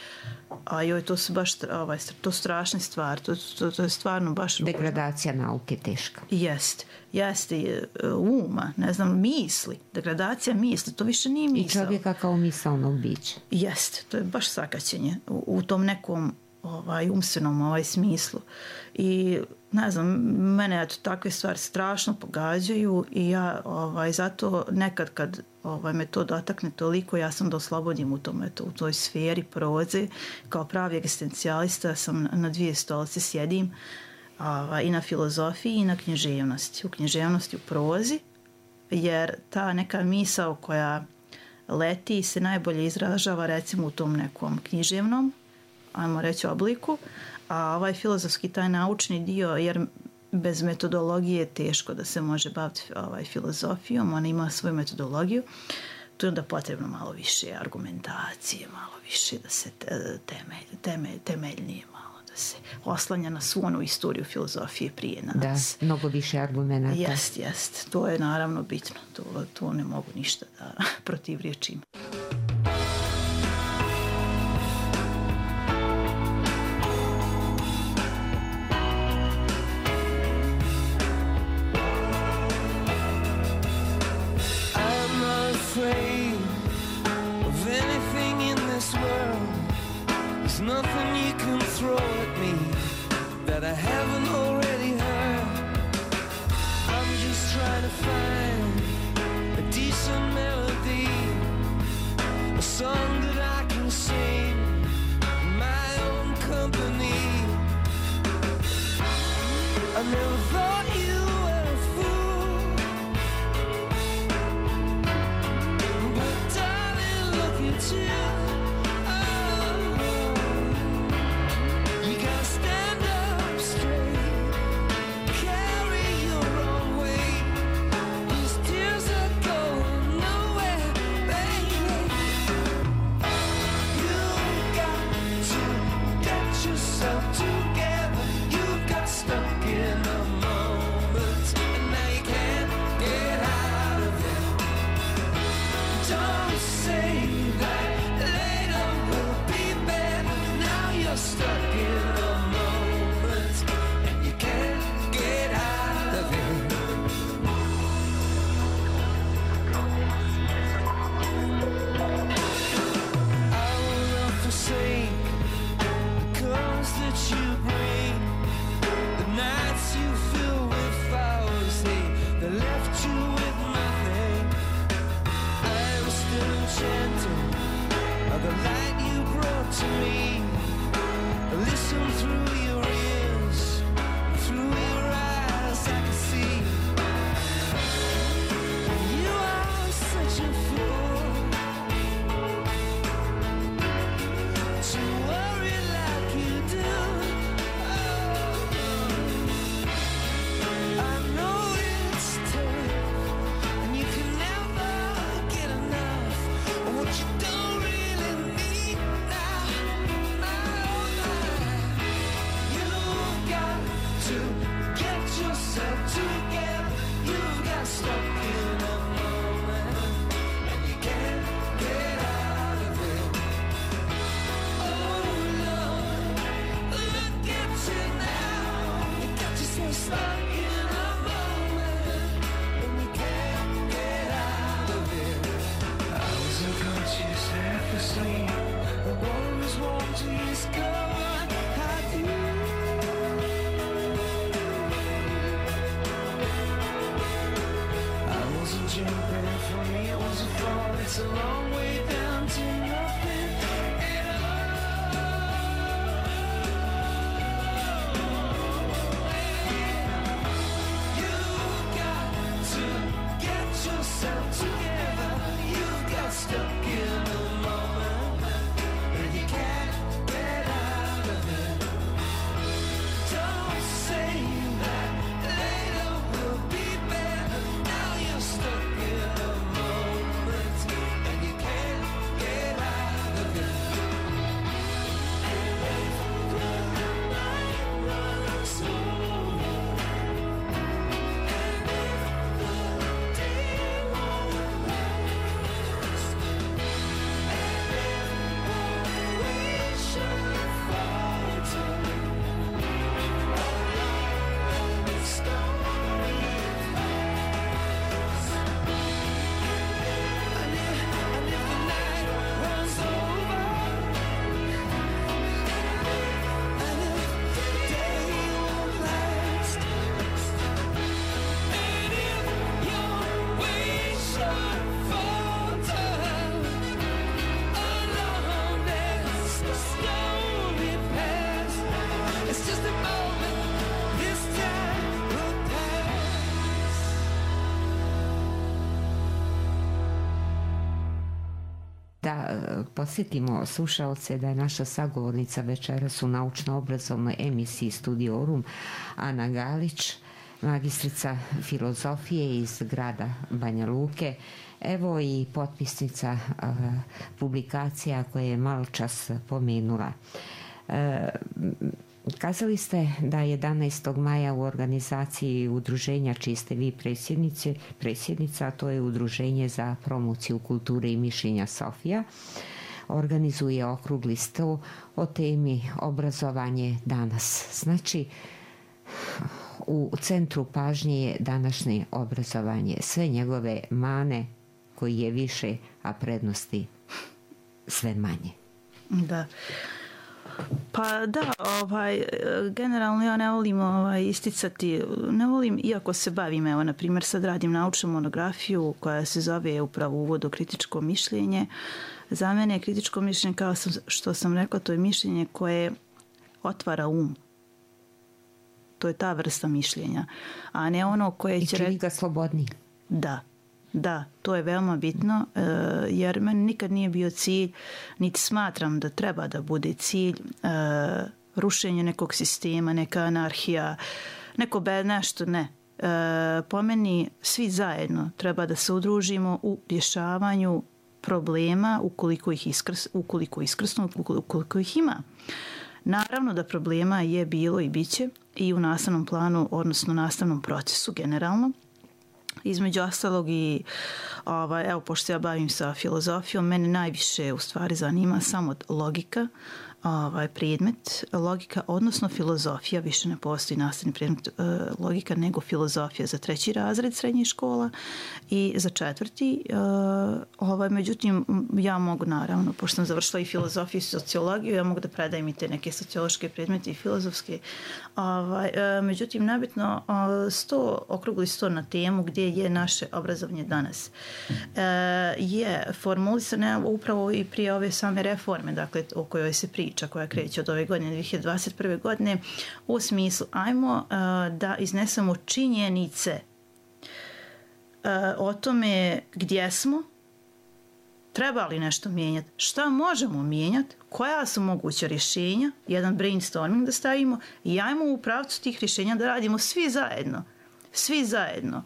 A joj, to su baš ovaj, to strašne stvari, to, to, to je stvarno baš... Degradacija nauke teška. Jest, jeste uma, ne znam, misli, degradacija misli, to više nije misao. I čovjeka kao misaonog bića. Jest, to je baš sakaćenje u, u tom nekom ovaj, umstvenom ovaj, smislu. I ne znam, mene eto, takve stvari strašno pogađaju i ja ovaj, zato nekad kad ovaj, me to dotakne toliko, ja sam da oslobodim u, tom, eto, u toj sferi proze. Kao pravi egzistencijalista sam na dvije stolice sjedim, ovaj, i na filozofiji i na književnosti. U književnosti u prozi, jer ta neka misao koja leti se najbolje izražava recimo u tom nekom književnom, ajmo reći, obliku, a ovaj filozofski, taj naučni dio, jer bez metodologije je teško da se može baviti ovaj, filozofijom, ona ima svoju metodologiju, tu je onda potrebno malo više argumentacije, malo više da se temelj, temelj, temeljnije malo da se oslanja na svu onu istoriju filozofije prije nas. Da, mnogo više argumenata. Jest, jest, to je naravno bitno, to, to ne mogu ništa da protivriječim. Nothing you can throw at me that I haven't already heard. I'm just trying to find a decent melody, a song that I can sing in my own company. I never thought you were a fool, but darling, look at you. a long way down to nothing at all. You've got to get yourself together. You've got stuck in a moment and you can't get out of it. Don't say that later will be better. Now you're stuck in a moment and you can't get out of it. And if the night runs over, and if the day won't last, and if we should falter, the story fast. And if, and if the night runs over, and if the day won't last, and if your way should falter, along as the story pass, it's just a moment, this time will pass. Da e, podsjetimo slušaoce da je naša sagovornica večeras u naučno-obrazovnoj emisiji Studiorum Ana Galić, magistrica filozofije iz grada Banja Luke, evo i potpisnica e, publikacija koje je malo čas pomenula. E, Kazali ste da jedanaestog maja u organizaciji udruženja čiji ste vi predsjednici, predsjednica, a to je Udruženje za promociju kulture i mišljenja Sofija, organizuje okrugli sto o temi obrazovanje danas. Znači, u centru pažnje je današnje obrazovanje, sve njegove mane koji je više, a prednosti sve manje. Da. Pa da, ovaj, generalno ja ne volim ovaj, isticati, ne volim, iako se bavim, evo, na primjer, sad radim naučnu monografiju koja se zove upravo Uvod u kritičko mišljenje. Za mene je kritičko mišljenje, kao sam, što sam rekla, to je mišljenje koje otvara um. To je ta vrsta mišljenja, a ne ono koje će... I čini ga slobodni. Da. Da, to je veoma bitno, jer meni nikad nije bio cilj, niti smatram da treba da bude cilj rušenje nekog sistema, neka anarhija, neko be nešto, ne. Po meni svi zajedno treba da se udružimo u rješavanju problema ukoliko ih iskrs, ukoliko iskrsnu, ukoliko ih ima. Naravno da problema je bilo i bit će i u nastavnom planu, odnosno nastavnom procesu generalno. Između ostalog i, ovaj, evo, pošto ja bavim sa filozofijom, mene najviše u stvari zanima samo logika, ovaj, predmet, logika, odnosno filozofija, više ne postoji nastavni predmet e, logika nego filozofija za treći razred srednjih škola i za četvrti. E, ovaj, međutim, ja mogu naravno, pošto sam završila i filozofiju i sociologiju, ja mogu da predajem i te neke sociološke predmete i filozofske. Ovaj, e, međutim, nabitno sto, okrugli sto na temu gdje je naše obrazovanje danas. E, je formulisano upravo i prije ove same reforme, dakle, o kojoj se priča, koja kreće od ove godine, dvije hiljade dvadeset prve. godine, u smislu ajmo uh, da iznesemo činjenice uh, o tome gdje smo, treba li nešto mijenjati, šta možemo mijenjati, koja su moguća rješenja, jedan brainstorming da stavimo i ajmo u pravcu tih rješenja da radimo svi zajedno. Svi zajedno.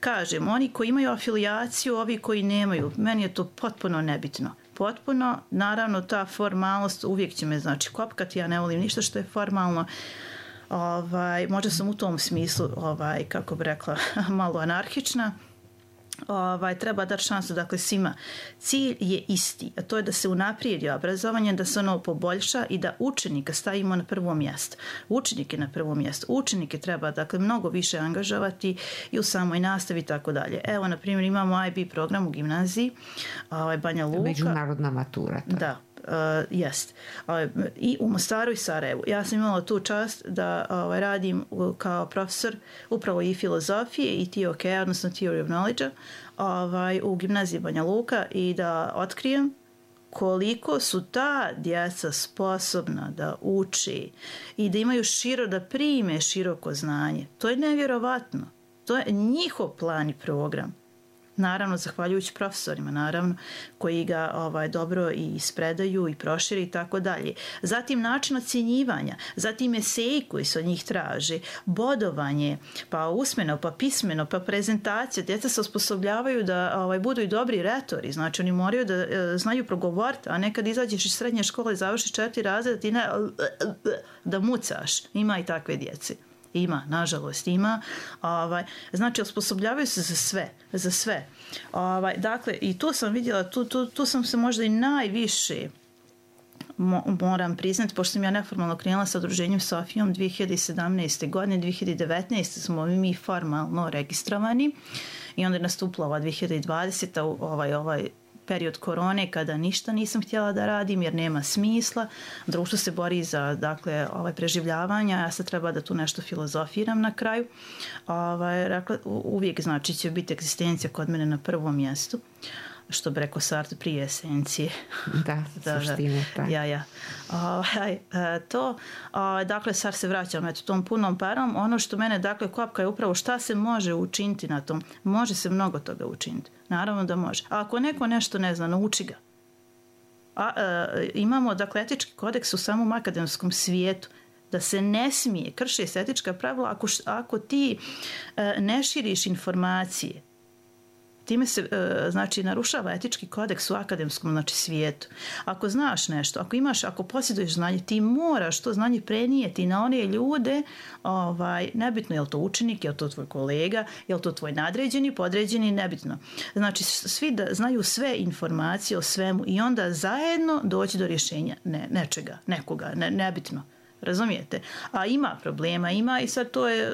Kažem, oni koji imaju afilijaciju, ovi koji nemaju, meni je to potpuno nebitno. Potpuno, naravno ta formalnost uvijek će me znači kopkati, ja ne volim ništa što je formalno. Ovaj, možda sam u tom smislu, ovaj, kako bi rekla, malo anarhična. Ovaj, treba dati šansu, dakle, svima. Cilj je isti, a to je da se unaprijedi obrazovanje, da se ono poboljša i da učenika stavimo na prvo mjesto. Učenike na prvo mjesto. Učenike treba, dakle, mnogo više angažovati i u samoj nastavi i tako dalje. Evo, na primjer, imamo I B program u gimnaziji, ovaj, Banja Luka. Međunarodna matura. To. Da. uh, jest. Uh, I u Mostaru i Sarajevu. Ja sam imala tu čast da uh, radim uh, kao profesor upravo i filozofije i T O K, odnosno Theory of Knowledge, ovaj, u gimnaziji Banja Luka i da otkrijem koliko su ta djeca sposobna da uči i da imaju širo, da prime široko znanje. To je nevjerovatno. To je njihov plan i program. Naravno, zahvaljujući profesorima, naravno, koji ga ovaj, dobro i ispredaju i proširi i tako dalje. Zatim način ocjenjivanja, zatim eseji koji se od njih traži, bodovanje, pa usmeno, pa pismeno, pa prezentacija. Djeca se osposobljavaju da ovaj, budu i dobri retori, znači oni moraju da e, znaju progovoriti, a nekad izađeš iz srednje škole i završiš četiri razreda, ti ne, da mucaš. Ima i takve djece. Ima, nažalost ima. Ovaj, znači, osposobljavaju se za sve. Za sve. Ovaj, dakle, i tu sam vidjela, tu, tu, tu sam se možda i najviše mo, moram priznati, pošto sam ja neformalno krenula sa udruženjem Sofijom dvije hiljade sedamnaeste. godine, dvije hiljade devetnaeste. smo mi formalno registrovani i onda je nastupila ova dvije hiljade dvadesete. ovaj, ovaj period korone kada ništa nisam htjela da radim jer nema smisla. Društvo se bori za dakle, ovaj, preživljavanja, ja sad treba da tu nešto filozofiram na kraju. Ovaj, rekla, uvijek znači će biti egzistencija kod mene na prvom mjestu, što bi rekao Sartre, prije esencije. Da, da suštine. Da. Ja, ja. Ovaj, to, dakle, sad se vraćam eto, tom punom parom. Ono što mene, dakle, kopka je upravo šta se može učiniti na tom. Može se mnogo toga učiniti. Naravno da može. A ako neko nešto ne zna, nauči ga. A, a, imamo, dakle, etički kodeks u samom akademskom svijetu da se ne smije, krši se etička pravila ako, ako ti a, ne širiš informacije. Time se, znači, narušava etički kodeks u akademskom, znači, svijetu. Ako znaš nešto, ako imaš, ako posjeduješ znanje, ti moraš to znanje prenijeti na one ljude, ovaj, nebitno je li to učenik, je li to tvoj kolega, je li to tvoj nadređeni, podređeni, nebitno. Znači, svi da znaju sve informacije o svemu i onda zajedno doći do rješenja ne, nečega, nekoga, ne, nebitno. Razumijete? A ima problema, ima i sad to je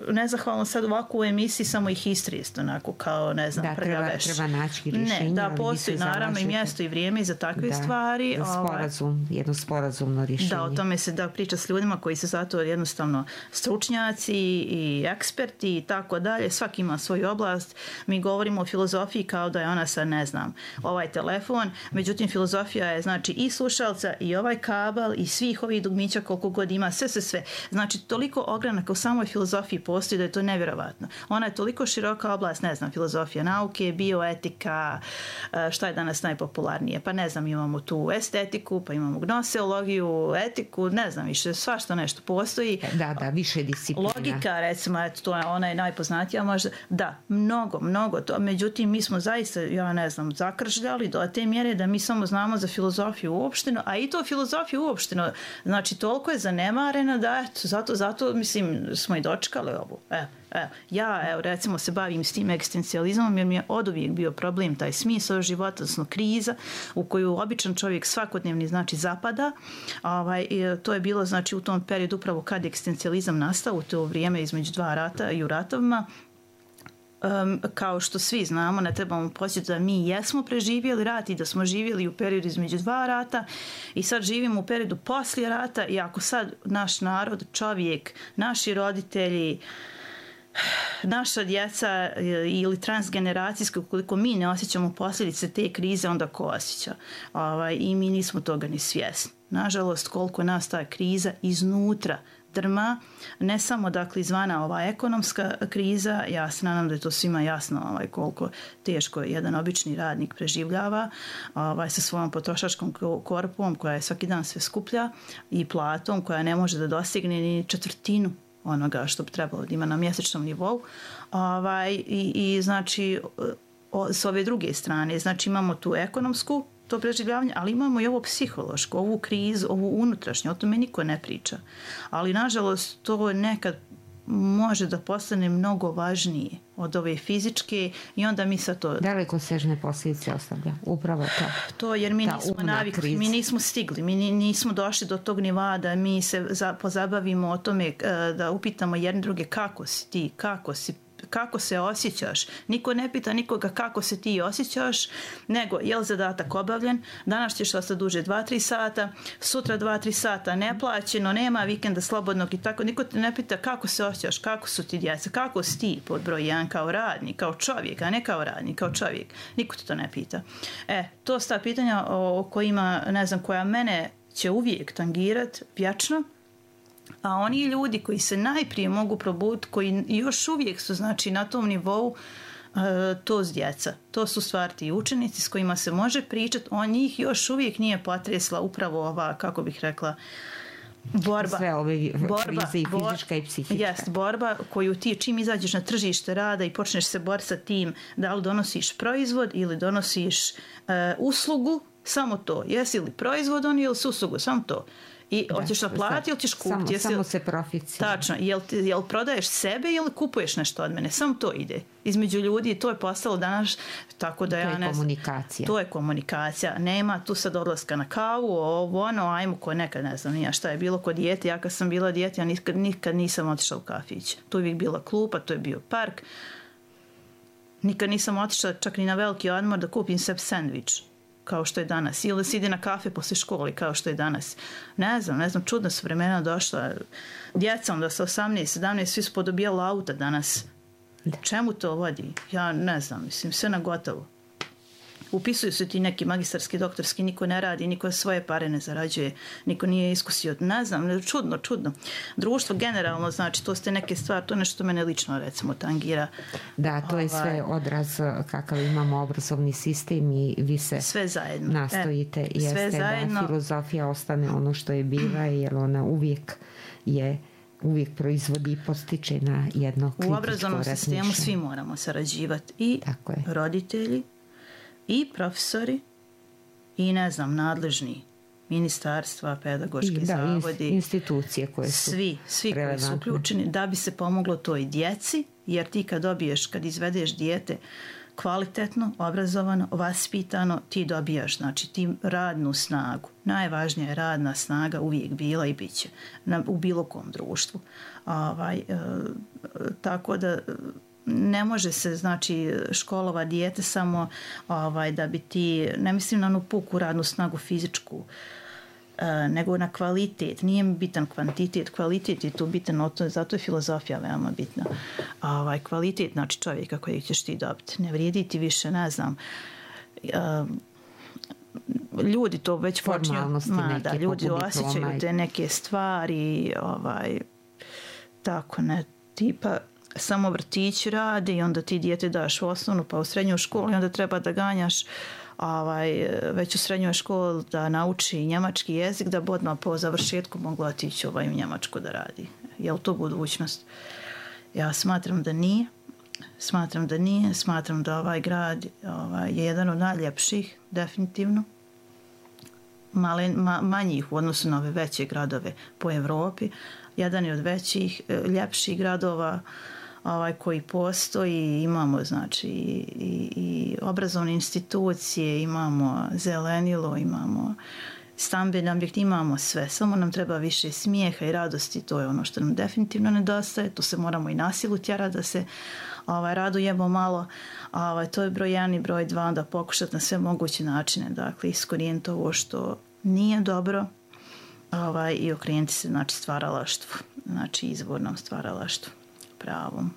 nezahvalno sad ovako u emisiji samo ih istrist, onako kao, ne znam, da, treba, treba naći rješenje. Ne, da, postoji naravno i mjesto i vrijeme za takve da, stvari. Da, sporazum, jedno sporazumno rješenje. Da, o tome se da priča s ljudima koji su zato jednostavno stručnjaci i eksperti i tako dalje. Svaki ima svoju oblast. Mi govorimo o filozofiji kao da je ona sad, ne znam, ovaj telefon. Međutim, filozofija je znači i slušalca i ovaj kabel i svih ovih dugmića koliko god ima, sve, sve, sve. Znači, toliko ogranaka u samoj filozofiji postoji da je to nevjerovatno. Ona je toliko široka oblast, ne znam, filozofija nauke, bioetika, šta je danas najpopularnije, pa ne znam, imamo tu estetiku, pa imamo gnoseologiju, etiku, ne znam više, svašta nešto postoji. Da, da, više disciplina. Logika, recimo, eto, to je, ona je najpoznatija možda. Da, mnogo, mnogo to. Međutim, mi smo zaista, ja ne znam, zakržljali do te mjere da mi samo znamo za filozofiju uopšteno, a i to filozofiju uopšteno, znači, toliko je zanemarena da, eto, zato, zato, mislim, smo i dočekali ovu. Evo, evo. Ja, evo, recimo, se bavim s tim egzistencijalizmom jer mi je oduvijek bio problem taj smisao života, odnosno kriza u koju običan čovjek svakodnevni, znači, zapada. Ovaj, to je bilo, znači, u tom periodu upravo kad je egzistencijalizam nastao, u to vrijeme između dva rata i u ratovima. Um, kao što svi znamo, ne trebamo podsjetiti da mi jesmo preživjeli rat i da smo živjeli u periodu između dva rata i sad živimo u periodu poslije rata i ako sad naš narod, čovjek, naši roditelji, naša djeca ili transgeneracijske, ukoliko mi ne osjećamo posljedice te krize, onda ko osjeća? Ovaj, I mi nismo toga ni svjesni. Nažalost, koliko nas ta kriza iznutra drma, ne samo dakle izvana ova ekonomska kriza, ja se nadam da je to svima jasno ovaj, koliko teško jedan obični radnik preživljava ovaj, sa svojom potrošačkom korpom koja je svaki dan sve skuplja i platom koja ne može da dostigne ni četvrtinu onoga što bi trebalo da ima na mjesečnom nivou. Ovaj, i, i znači o, s ove druge strane, znači imamo tu ekonomsku to preživljavanje, ali imamo i ovo psihološko, ovu krizu, ovu unutrašnju, o tome niko ne priča. Ali, nažalost, to nekad može da postane mnogo važnije od ove fizičke i onda mi sa to... Daleko sežne posljedice ostavlja, upravo to. To jer mi nismo navikli, mi nismo stigli, mi nismo došli do tog nivoa da mi se za, pozabavimo o tome, da upitamo jedne druge kako si ti, kako si kako se osjećaš. Niko ne pita nikoga kako se ti osjećaš, nego je li zadatak obavljen, danas ćeš ostati duže dva tri sata, sutra dva tri sata neplaćeno, nema vikenda slobodnog i tako. Niko te ne pita kako se osjećaš, kako su ti djeca, kako si ti pod broj jedan kao radnik, kao čovjek, a ne kao radnik, kao čovjek. Niko te to ne pita. E, to su ta pitanja o kojima, ne znam, koja mene će uvijek tangirat vječno, a oni ljudi koji se najprije mogu probuditi, koji još uvijek su, znači, na tom nivou, to s djeca. To su stvari ti učenici s kojima se može pričati, on njih još uvijek nije potresla upravo ova, kako bih rekla, borba. Sve ove borba, krize i fizička i psihička. Jest, borba koju ti čim izađeš na tržište rada i počneš se boriti sa tim da li donosiš proizvod ili donosiš uh, uslugu, samo to. Jesi li proizvod on ili uslugu, samo to. I da, hoćeš naplatiti ili ćeš kupiti. Samo, jesi, samo se profici. Tačno. Jel, jel prodaješ sebe ili kupuješ nešto od mene? Samo to ide. Između ljudi to je postalo danas tako da to ja je ne komunikacija. To je komunikacija. Nema tu sad odlaska na kavu, ovo, ono, ajmo ko nekad, ne znam, nija šta je bilo kod dijete. Ja kad sam bila dijete, ja nikad, nikad nisam otišla u kafić. Tu je uvijek bila klupa, to je bio park. Nikad nisam otišla čak ni na veliki odmor da kupim sebi sandvič, kao što je danas. Ili se ide na kafe posle školi, kao što je danas. Ne znam, ne znam, čudna su vremena došla. Djeca onda sa osamnaest sedamnaest svi su podobijali auta danas. Da. Čemu to vodi? Ja ne znam, mislim, sve na gotovo. Upisuju se ti neki magistarski, doktorski, niko ne radi, niko svoje pare ne zarađuje, niko nije iskusio, ne znam, čudno, čudno. Društvo generalno, znači, to ste neke stvari, to je nešto mene lično, recimo, tangira. Da, to je sve odraz kakav imamo obrazovni sistem i vi se sve zajedno nastojite, e, jeste sve zajedno. Da filozofija ostane ono što je bila, jer ona uvijek je uvijek proizvodi i postiče na jedno kritičko razmišljanje. U obrazovnom sistemu svi moramo sarađivati, i roditelji, i profesori, i ne znam, nadležni ministarstva, pedagoški I, da, zavodi, institucije koje su svi, svi koji su uključeni, da bi se pomoglo toj djeci, jer ti kad dobiješ, kad izvedeš dijete kvalitetno, obrazovano, vaspitano, ti dobijaš, znači, ti radnu snagu. Najvažnija je radna snaga, uvijek bila i bit će na, u bilo kom društvu. Ovaj, e, tako da ne može se, znači, školova dijete samo ovaj, da bi ti, ne mislim na onu puku radnu snagu fizičku, e, nego na kvalitet. Nije mi bitan kvantitet, kvalitet je tu bitan, zato je filozofija veoma bitna. Ovaj, kvalitet, znači, čovjeka kojeg ćeš ti dobiti. Ne vrijedi ti više, ne znam, e, ljudi to već počinju, ma, da, ljudi osjećaju te neke stvari, ovaj, tako, ne, tipa, samo vrtić radi i onda ti dijete daš u osnovnu pa u srednju školu i onda treba da ganjaš ovaj, već u srednjoj školi da nauči njemački jezik da bi odmah po završetku mogla otići ovaj, u Njemačku da radi. Je li to budućnost? Ja smatram da nije. Smatram da nije. Smatram da ovaj grad ovaj, je jedan od najljepših, definitivno. Male, ma, manjih u odnosu na ove veće gradove po Evropi. Jedan je od većih, ljepših gradova ovaj, koji postoji. Imamo, znači, i, i obrazovne institucije, imamo zelenilo, imamo stambene objekte, imamo sve. Samo nam treba više smijeha i radosti, to je ono što nam definitivno nedostaje. Tu se moramo i nasilu tjerati da se ovaj, radujemo malo. Ovaj, to je broj jedan i broj dva, da pokušati na sve moguće načine, dakle, iskorijeniti ovo što nije dobro, ovaj, i okrenuti se, znači, stvaralaštvu, znači, izvornom stvaralaštvu, pravom.